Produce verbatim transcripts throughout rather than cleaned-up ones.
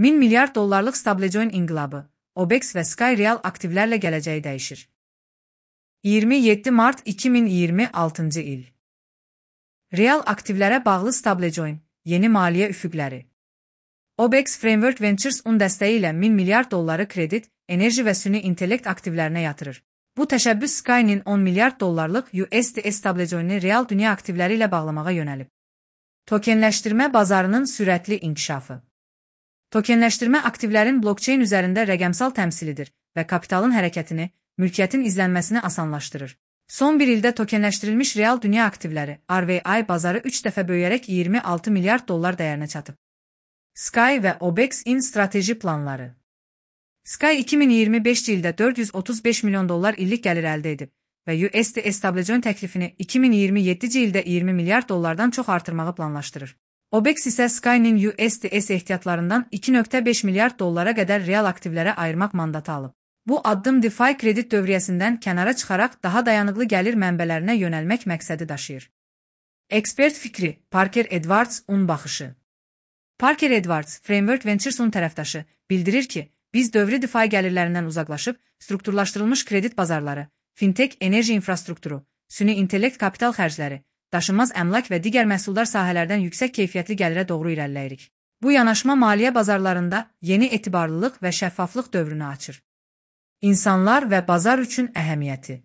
min milyard dollarlıq stablecoin inqilabı, O B E X və Sky real aktivlərlə gələcəyi dəyişir. iyirmi yeddi mart iki min iyirmi altıncı il. Real aktivlərə bağlı stablecoin, yeni maliyyə üfüqləri. O B E X Framework Ventures un dəstəyi ilə min milyard dolları kredit, enerji və süni intellekt aktivlərinə yatırır. Bu təşəbbüs Sky'nin on milyard dollarlıq U S D S stablecoinini real dünya aktivləri ilə bağlamağa yönəlib. Tokenləşdirmə bazarının sürətli inkişafı. Tokenləşdirmə aktivlərin blockchain üzərində rəqəmsal təmsilidir və kapitalın hərəkətini, mülkiyyətin izlənməsini asanlaşdırır. Son bir ildə tokenləşdirilmiş real dünya aktivləri R V I bazarı üç dəfə böyüyərək iyirmi altı milyard dollar dəyərinə çatıb. Sky və O B E X-in strateji planları. Sky iki min iyirmi beşinci ildə dörd yüz otuz beş milyon dollar illik gəlir əldə edib və U S D S stablecoin təklifini iki min iyirmi yeddinci ildə iyirmi milyard dollardan çox artırmağı planlaşdırır. O B E X isə Sky'nin U S D S ehtiyatlarından iki nöqtə beş milyard dollara qədər real aktivlərə ayırmaq mandatı alıb. Bu addım DeFi kredit dövriyyəsindən kənara çıxaraq daha dayanıqlı gəlir mənbələrinə yönəlmək məqsədi daşıyır. Ekspert fikri, Parker Edwards un baxışı. Parker Edwards, Framework Ventures un tərəfdaşı, bildirir ki, biz dövri DeFi gəlirlərindən uzaqlaşıb, strukturlaşdırılmış kredit bazarları, fintech enerji infrastrukturu, süni intellekt kapital xərcləri, daşınmaz əmlak və digər məhsuldar sahələrdən yüksək keyfiyyətli gəlirə doğru irəliləyirik. Bu yanaşma maliyyə bazarlarında yeni etibarlılıq və şəffaflıq dövrünü açır. İnsanlar və bazar üçün əhəmiyyəti.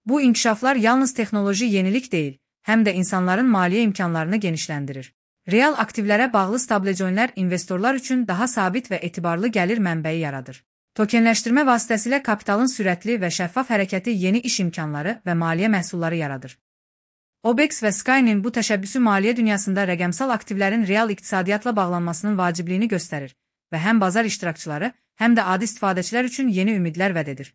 Bu inkişaflar yalnız texnoloji yenilik deyil, həm də insanların maliyyə imkanlarını genişləndirir. Real aktivlərə bağlı stablecoinlər investorlar üçün daha sabit və etibarlı gəlir mənbəyi yaradır. Tokenləşdirmə vasitəsilə kapitalın sürətli və şəffaf hərəkəti yeni iş imkanları və maliyyə məhsulları yaradır. O B E X və Sky'nin bu təşəbbüsü maliyyə dünyasında rəqəmsal aktivlərin real iqtisadiyyatla bağlanmasının vacibliyini göstərir və həm bazar iştirakçıları, həm də adi istifadəçilər üçün yeni ümidlər vəd edir.